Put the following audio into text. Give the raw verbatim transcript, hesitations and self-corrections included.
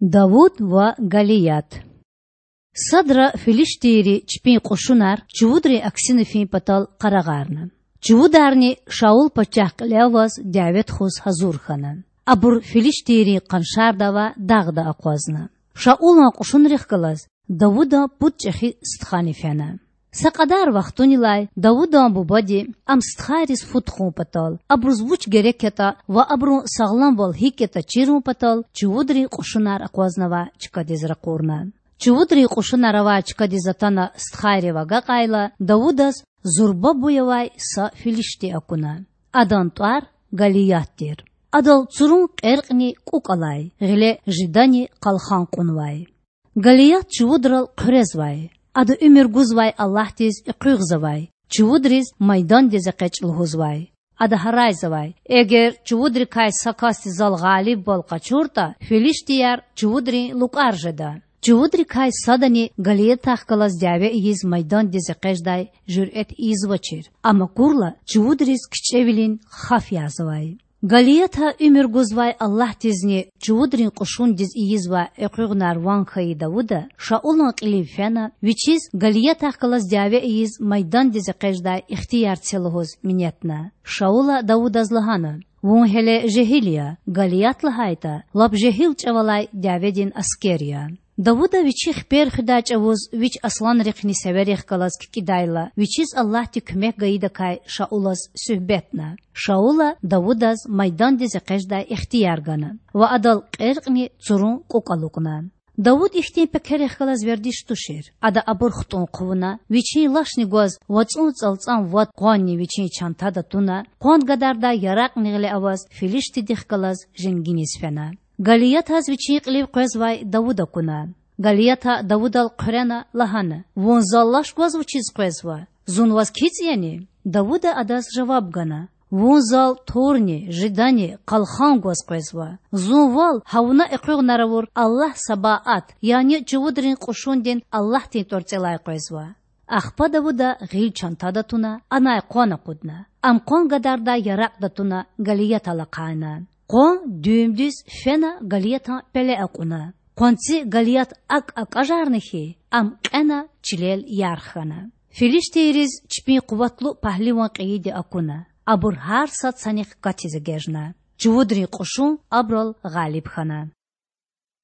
Давуд ва Галият. Садра филиштийри чпин кьушунар чувудрин аксина фин патал къарагъарна. Чувударни Шаул пачагь кьиле аваз дяве тухуз гьазур хьана. Абур филиштийрин къаншарда авай дагъда акъвазна. Шаулан кьушунрихъ галаз Давудан пуд чІехи стхани фена. Са кьадар вахтунилай Давудан бубади ам стхайриз фу тухун патал, абуруз вуч герек ятІа ва абурун сагъламвал гьикІ ятІа чирун патал чувудрин кьушунар акъвазнавай чкадиз ракъурна. Чувудрин кьушунар авай чкадиз атана стхайрив агакьайла, Давудаз зурба буй авай са филишти акуна. Адан тІвар Галият тир. Адал цурун кьеркьни кІукІ алай, гъиле жидани къалхан кьунвай. Галият чувудрал хъуьрезвай. Ада уьмуьр гузвай Аллагьдиз экъуьгъзавай, чувудриз майдандиз экъечІ лугьузвай. Ада гьарайзавай: Эгер чувудрикай са касди зал гъалибвал къачуртІа, филиштияр чувудрин лукІар жеда. Чувудрикай садани Галиятахъ галаз дяве ийиз майдандиз экъечІдай жуьрэт ийизвачир. Ам акурла, чувудриз кичІевилин хаф язавай. Галията уьмуьр гузвай Аллагьдизни чувудрин кьушундиз ийизвай экъуьгъунар ван хьайи Давуда Шаулан кьилив фена, вичиз Галиятахъ галаз дяве ийиз майдандиз экъечІдай ихтияр це лугьуз минетна. Шаула Давудаз лагьана: Вун гьеле жегьил я, Галият лагьайтІа, лап жегьил чІавалай дяведин аскер я. Давуда вичи хипер хуьдай чІавуз вич асланрихъни северихъ галаз кикІидайла, вичиз Аллагьди куьмек гайидакай Шаулаз суьгьбетна. Шаула Давудаз майдандиз экъечІдай ихтияр гана ва адал кьеркьни цурун кІукІ алукІна. Давуд ихьтин пекерихъ галаз вердиш тушир. Ада абур хтІун хъувуна, вичин лашни гваз вацІун цІалцІам вад къванни вичин чантада туна, къван гадардай яракьни гъиле аваз филиштидихъ галаз женгиниз фена. Галиятаз вичин кьилив къвезвай Давуд акуна. Галията Давудал хъуьрена, лагьана: Вун зал лаш гваз вучиз къвезва? Зун ваз кицІ яни? Давуда адаз жаваб гана: Вун зал турни, жидани, къалхан гваз къвезва. Зун вал гьа вуна экъуьгъунар авур Аллагь Сабаат, яни чувудрин кьушундин Аллагьдин тІварцІелай къвезва. Ахпа Давуда гъил чантада туна, анай къван акъудна. Ам къван гадардай яракьда туна Галиятал ахъайна. Къван дуьмдуьз фена Галиятан пеле акьуна. Къванци Галият акІ акІажарна хьи, ам кьена чилел ярх хьана. Филиштийриз чпин къуватлу пагьливан кьейиди акуна. Абур гьар сад санихъ катиз эгечІна. Чувудрин кьушун абурал гъалиб хьана.